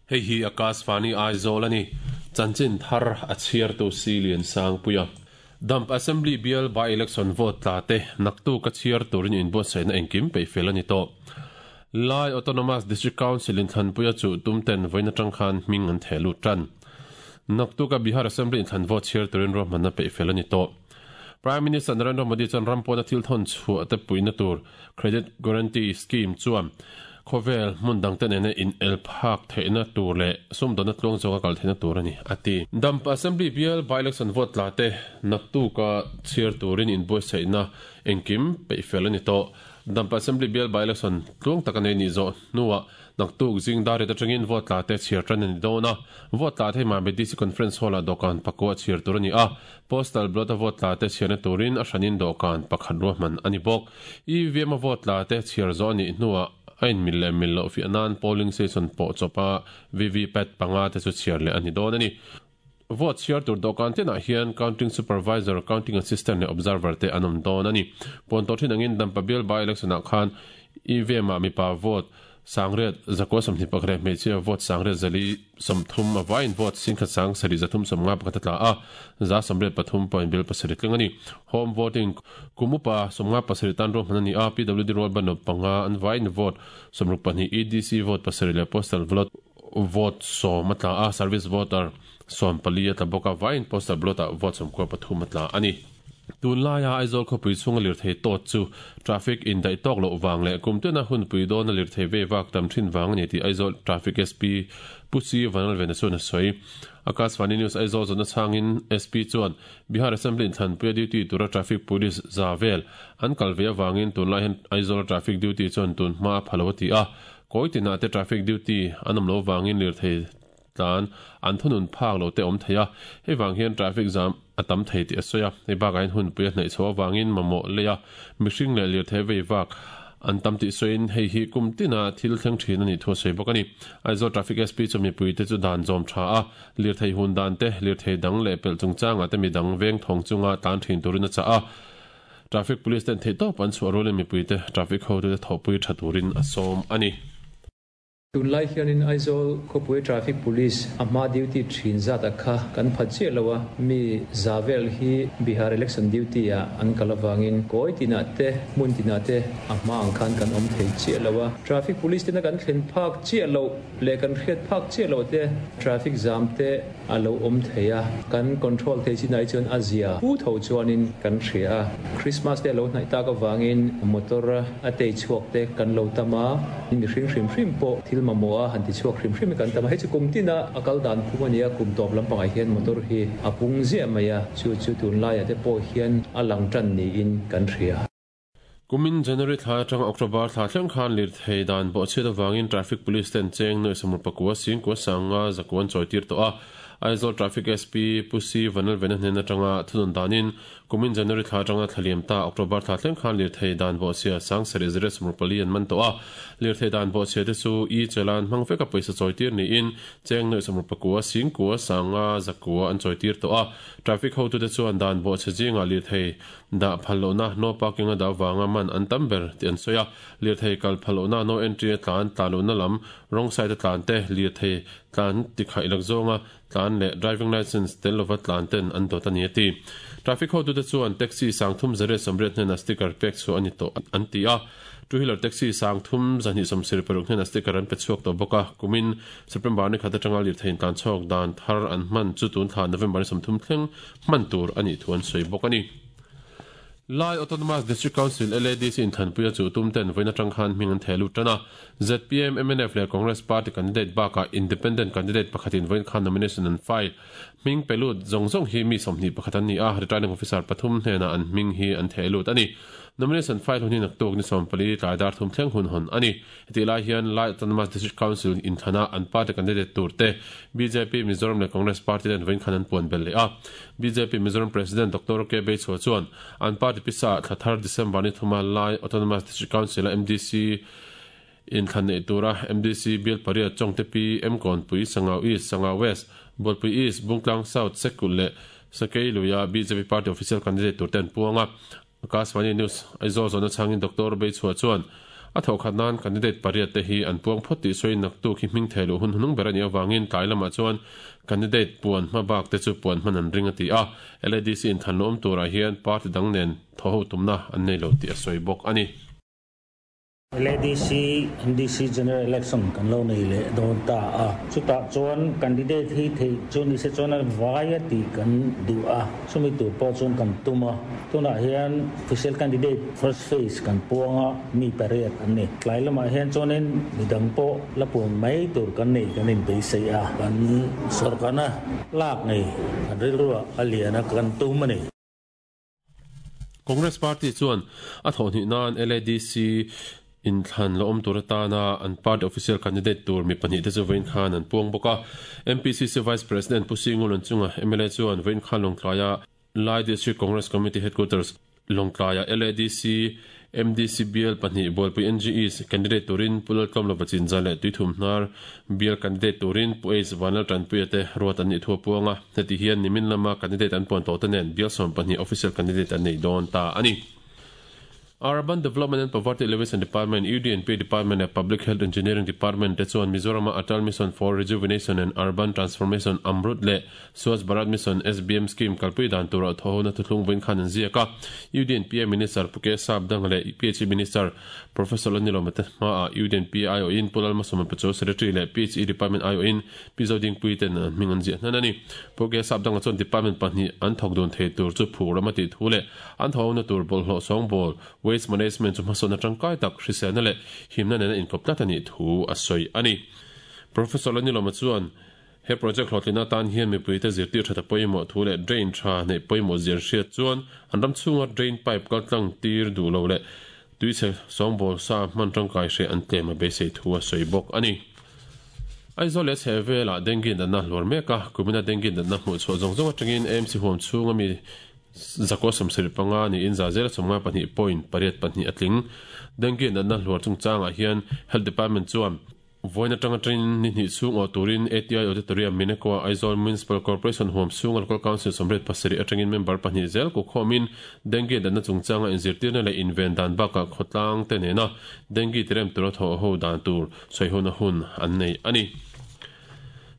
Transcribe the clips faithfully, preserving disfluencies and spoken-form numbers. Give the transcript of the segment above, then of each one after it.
Hei hi Akashvani Aizawl ani. Chanchin thar a chhiar tu si lian sang puia. Dampa Assembly bial by election vote tla te naktu ka chhiar turin in buatsaihna engkim peih fel ani tawh. Lai Autonomous District Council in thlanpuia chu tumten vawiin atang khan hming an theh lut tan. Naktu ka Bihar Assembly in thlan vote chhiar turin ruahmanna peih fel ani tawh. Prime Minister Narendra Modi chuan ram pawna thil thawn chhuah te puihna tur Credit Guarantee Scheme chuan khawvel hmun dang te nena in el phak theihna tur leh sumdawnna tluang zawka kal theihna tur ani a ti. Dampa Assembly bial by election vote tla te naktu ka chhiar turin in buatsaihna engkim peih fel ani tawh. Dampa Assembly bial by election tluang tak anei ni zawh hnuah naktuk zing dar riat atangin vote tla te chhiar tan ani dawn a. Vote tla te Mami D C Conference Hall ah dawhkan pakua chhiar tur ani a. Postal ballot a vote tla te chhiarna turin a hranin dawhkan pakhat ruahman ani bawk. E V M a vote tla te chhiar zawh anih hnuah a in mil leh mil loh fiah nan polling station pawh chawpa V V PAT panga te chu chhiar leh ani dawn ani. Vote chhiar tur dawhkan tenah hian counting supervisor, counting assistant leh observer te an awm dawn ani. Pawn tawh thin angin Dampa bial by election ah khan E V M ah mipa vote sangriat zakua sawmhnih pakhat leh hmeichhia vote sangriat zali sawmthum a vaiin vote singkhat sang sarih zathum sawmnga pakhat a tla a, za sawmriat pathum point bil pasarih tling ani. Home voting kumupa sawmnga pasarih tan ruahman ani a, P W D rual banawp panga an vaiin vote sawmruk pahnih E D C vote pasarih leh postal ballot vote sawm a tla a, service voter sawm pali a tla bawk a, vaiin postal ballot ah vote sawmkua pathum a tla ani. Tun laia Aizawl khawpui chhunga lirthei tawt chu traffic in daih tawk loh vang leh kum tena hun pui dawna lirthei ve vak tam thin vang ani tih Aizawl Traffic S P Pu C Vanlalvena chuan a sawi. Akashvani News Aizawl zawhna chhangin S P chuan Bihar Assembly in thlanpuia duty tura traffic police za vel an kal ve avangin tunlai hian Aizawl traffic duty chuan tun hma a phalo a ti a. Kawi tinah te traffic duty an awm lo vangin lirthei tlan an thunun phak lo te awm thei a, hei vang hian traffic jam a tam thei tih a sawi a. Hei bakah hian hun pui a hnaih chho avangin mamawh lei a, mihring leh lirthei vei vak an tam tih sawiin hei hi kum tina thil thleng thin ani thu a sawi bawk ani. Aizawl Traffic S P chu mipui te chu dan zawm tha a, lirthei hun dan te, lirthei dang leh pelh chungchangah te midang veng thawng chunga tlan thin turin a chah a. Traffic Police ten theih tawp an chhuah rualin mipui te traffic ho te thawhpui tha turin a sawm ani. Tunlai hianin Aizawl khawpui traffic police a hma duty thin zat a kha kan phat chiah lo a, mi za vel hi Bihar election duty ah an kal avangin kawi tinah te hmun tinah te a hma ang khan kan awm thei chiah lo a. Traffic police tena kan thlen phak chiah loh leh kan hriat phak chiah loh te traffic jam te a lo awm thei a, kan control thei chinah hi chuan a zia hu tho chuanin kan hria a. Christmas te a lo hnaih tak avangin motor a tei chhuak te kan lo tam a, mihring hrim hrim pawh thil mamawh a han ti chhuak hrim hrim hi kan tam a. Hei chu kum tina a kal dan phum ani a, kum tawp lampangah hian motor hi a pung ziah mai a, chu chu tunlaiah te pawh hian a lang tan niin kan hria. Kumin January thla atanga October thla thleng khan lirthei dan bawhchhiat avangin traffic police ten cheng nuai samur pakua singkua sanga zakuan chawi tir tawh a. Aizawl Traffic S P Pu C Vanlalvena hnen atanga thunun danin kumin January thla atanga thlaliam ta October thla thleng khan lirthei dan bawhchhia sang sarih zariat samur pali an man tawh a. Lirthei dan bawhchhia te chu e chalan hmang veka pawisa chawi tir niin cheng nuai samur pakua singkua sanga zakua an chawi tir tawh a. Traffic hotu te chuan dan bawhchhe zinga lirthei da phallohna no parking a da wanga man an tam ber ti an sawi a. Lirthei kal phallohna no entry a tlan tlanlohna lam wrong side a tlan te lirthei tlan ti khaih lak zawnga tlan leh driving license tel lova tlan ten an dawt ani a ti. Traffic hotu te chuan taxi sangthum zariat sawmriat hnena sticker pek chu ani tawh an ti a. Two wheeler taxi sangthum zahnih sawmsarih paruk hnena sticker an pe chhuak tawh bawk a. Kumin September ni khat atanga lirthei tlan chhuak dan thar an hman chu tun thla November ni sawmthum thleng hman tur ani thu an sawi bawk ani. Lai Autonomous District Council L A D C in thlanpuia chu tum ten vawiin atang khan hming an theh lut tan a. Z P M, M N F leh Congress Party candidate bakah independent candidate pakhatin vawiin khan nomination an file. Hming pe lut zawng zawng hi mi sawmhnih pakhat an ni a, returning officer pathum hnenah an hming hi an theh lut ani. Nomination file hun hi naktuk ni sawmpali tlai dar thum thleng hun hawn ani. Heti lai hian Lai Autonomous District Council in thlana an party candidate tur te B J P Mizoram leh Congress Party ten vawiin khan an puan bel leh a. B J P Mizoram President Doctor K Beichhua chuan an party pisa thlathar December ni thuma Lai Autonomous District Council a M D C in thlan nei tura M D C bial pariat Chongte P M Kawnpui Sangau East Sangau West Bawlpui East Bungtlang South Sekul leh Sakei Luia B J P party official candidate tur ten puanga. Akashvani News Aizawl zawhna chhangin Doctor Beichhua chuan A tho khat nan candidate pariat te hi an puang phawt tih sawiin naktuk hi hming thei loh hun hnung ber a nih avangin tlai lamah chuan candidate puan hma bak te chu puan hman an ring a ti a. L A D C in than awm turah hian party dang nen thaw ho tumna an nei lo tih a sawi bawk a ni. L A D C M D C General Election kan lo nei leh dawn ta a. Chutah chuan candidate hi thei chu ni se chuan a vai a tih kan duh a. Chumi tur pawh chuan kan tum a. Tunah hian official candidate first phase kan puang a, mi pariat an ni. Tlai lamah hian chuanin midang pawh la puan mai tur kan nei kan inbeisei a. Kan sorkarna lak nei kan rilruah a lian a kan tum a ni. Congress Party chuan a thawh hnih nan L A D C in thlan lo awm tur atana an party official candidate tur mi pahnih te chu vawiin khan an puang bawk a. M P C C Vice President Pu Singul chunga M L A chuan vawiin khan Lawngtlaia Lai District Congress Committee Headquarters Lawngtlaia L A D C M D C B L pahnih Bualpui N G Es candidate turin Pu Laltlawm Lova Chinza leh Tuithum Hnar B L candidate turin Pu Ace Vanlal Tanpuia te ruat an nih thu a puang a. Heti hian nimin lama candidate an puan tawh te nen bial sawm pahnih official candidate an nei dawn ta a ni. Urban Development and Poverty Alleviation Department, U D N P Department and Public Health Engineering Department te chuan Mizoram Atal Mission for Rejuvenation and Urban Transformation Amrut leh Swachh Bharat Mission S B M Scheme kalpui dan tur a thawhna thuthlung vawiin khan an ziak a. U D N P Minister Pu K Sap Dang leh P H E Minister Professor Lanilo Mate hmaah U D N P I O in Pu Lalmasawma Pachuau Secretary leh P H E Department I O in Pi Zoding Pui ten an hming an ziah hnan a ni. Pu K Sap Dang chuan department pahnih an thawk dun thei tur chu phur ram a tih thu leh an thawhna tur bawlhhlawh sawng bawl waste management chu hmasawn atang kai tak hriselna leh himna nena inkawp tlat a nih thu a sawi a ni. Professor Laniloma chuan he project hlawhtlina tan hian mipui te zirtir tha ta pawimawh thu leh drain tha nei pawimawh zir hriat chuan an ram chhunga drain pipe kaltlang tir duh lo leh tuichhe sawngbawl sa hman tangkai hre an tlem a beisei thu a sawi bawk a ni. Aizawl leh chhehvela dengue natna hluar mek a, kumina dengue natna hmuh chhuah zawng zawng atangin A M C huam chhunga mi zakua sawmsarih panga niin za zela sawmnga pahnih point pariat pahnih a tling. Dengue natna hluar chungchangah hian Health Department chuan vawiin atanga train ni hnih chhung aw turin A T I Auditorium Mineko Aizawl Municipal Corporation huam chhung Local Council sawmriat pasarih atangin member pahnih zel ku khawmin dengue natna chungchanga inzirtirna leh inven dan bakah khawtlang te nena dengue tirem tura thawh ho dan tur sawihona hun an nei a ni.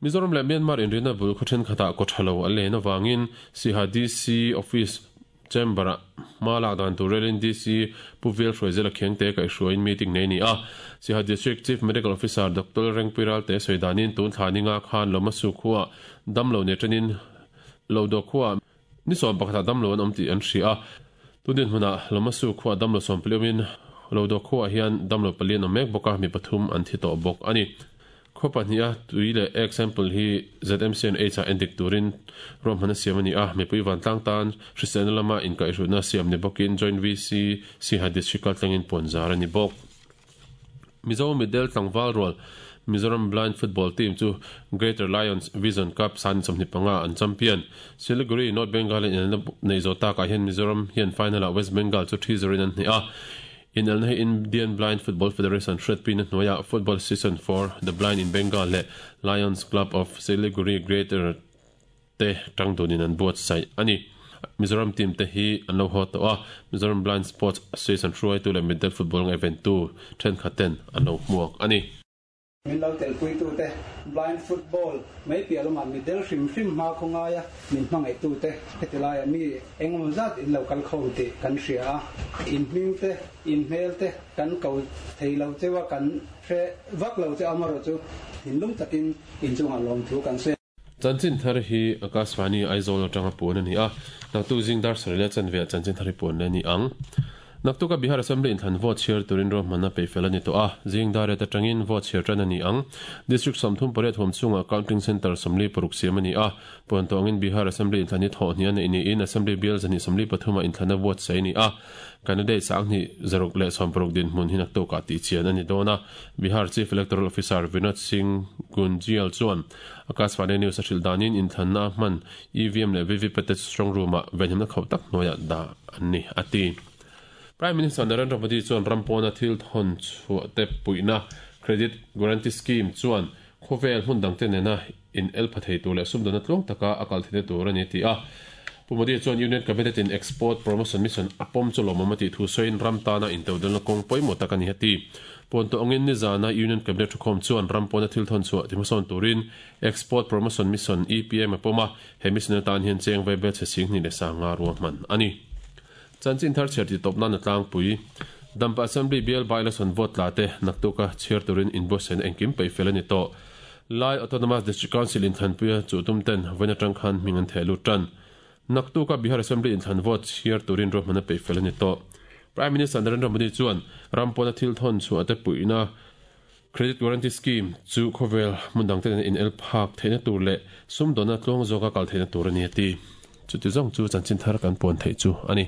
Mizoram leh Myanmar inrina bul khawthen khatah kawthalo a len awangin Siha D C Office Chamber ah hma lak dan tur relin D C Pu Vel Hruaizela Khengte kaihhruaiin meeting nei ni a. Siha District Chief Medical Officer Doctor Rengpuiral te sawi danin tun thla ninga khan Lomasu khuah damlo ne tanin Lodo khuah ni sawm pakhatah damlo an awm tih an hria a. Tunin hmunah Lomasu khuah damlo sawm paliawmin Lodo khuah hian damlo palian awm mek bawk a, mi pathum an thi tawh bawk a ni. Khaw pahnih a tui leh example hi Z M C N H a endik turin ruahman a siam a ni a. Mipui vantlang tan hriselna lama inkaihhrutna siam ni bawkin Joint V C Siha District kaltlangin puan zar a ni bawk. Mizo Middle Tlangval Rual Mizoram Blind Football Team chu Greater Lions Vision Cup san sawmhnih panga an champion. Siliguri North Bengal in nei zo takah hian Mizoram hian final ah West Bengal chu three zero in an hnih a. In elna hi Indian Blind Football Federation hriatpui na hnuaiah Football Season for the Blind in Bengal leh Lions Club of Siliguri Greater te tangdunin an buatsaih a ni. Mizoram team te hi an lo haw tawh a. Mizoram Blind Sports Association hruaitu leh Middle Football event tu thenkhaten an lo hmuak a ni. Min lo telpui tu te blind football mai piah lamah middle hrim hrim hma khawngaia min hmangaih tu te heti laia mi engemaw zat in lo kal khawm tih kan hria a. In hming te in hmel te kan ko thei lo chewa kan hre vak lo che amarawh chu thinlung takin in chungah lawm thu kan sawi. Chanchin thar hi Akashvani Aizawl atanga puan a ni a. Naktuk zingdar sarih leh chanve ah chanchin thar hi puan le ni ang. Naktuka Bihar Assembly in thlan vote chhiar turin ruahmanna peihfel a ni tawh a. Zingdar et atangin vote chhiar tan a ni ang. District sawmthum pariat huam chhungah counting center sawmli paruk siam a ni a. Puan tawngin Bihar Assembly in thlan hi thawh hnih a nei niin Assembly bial zahnih sawmli pathumah inthlana vote sai a ni a. Candidate sanghnih zaruk leh sawm paruk dinhmun hi naktukah tih chian a ni dawn a. Bihar Chief Electoral Officer Vinod Singh Gunjial chuan Akashvani News a hrilh danin inthlanna hman E V M leh V V P te strong room-ah venhimna khauh tak hnuaiah dah an ni a ti. Prime Minister Narendra Modi chuan rampawna thil thawn chhuah te puihna Credit Guarantee Scheme chuan khawvel hmun dang te nena in el pha thei tur leh sumdawna tluang taka a kal theihna tur a ni ti a. Pu Modi chuan Union Cabinet in Export Promotion Mission a pawm chu lawmawm a tih thu sawiin ram tana intodelhna kawng pawimawh tak a ni a ti. Pawn tawh angin nizana Union Cabinet thukhawm chuan ram pawna thil thawn chhuah tihmasawn turin Export Promotion Mission, E P M, a pawm a, he mission atan hian cheng vaibel chhe sing hnih leh sanga ruahman a ni. Chanchin thar chhiar ti tawp nan a tlangpui. Dampa Assembly bial by-election vote tla te naktuka chhiar turin inbuatsaihna engkim peih fel a ni tawh. Lai Autonomous District Council inthanpuia chu tum ten vawiin atang khan hming an theh lut tan. Naktuka Bihar Assembly inthan vote chhiar turin ruahman a peih fel a ni tawh. Prime Minister Narendra Modi chuan ram pawna thil thawn chhuah te puihna Credit Guarantee Scheme chu khawvel hmun dang ten in el phak theihna tur leh sumdawnna tluang zawka kal theihna tur a ni a ti. Chuti zawng chu chanchin thar kan pawn theih chu a ni.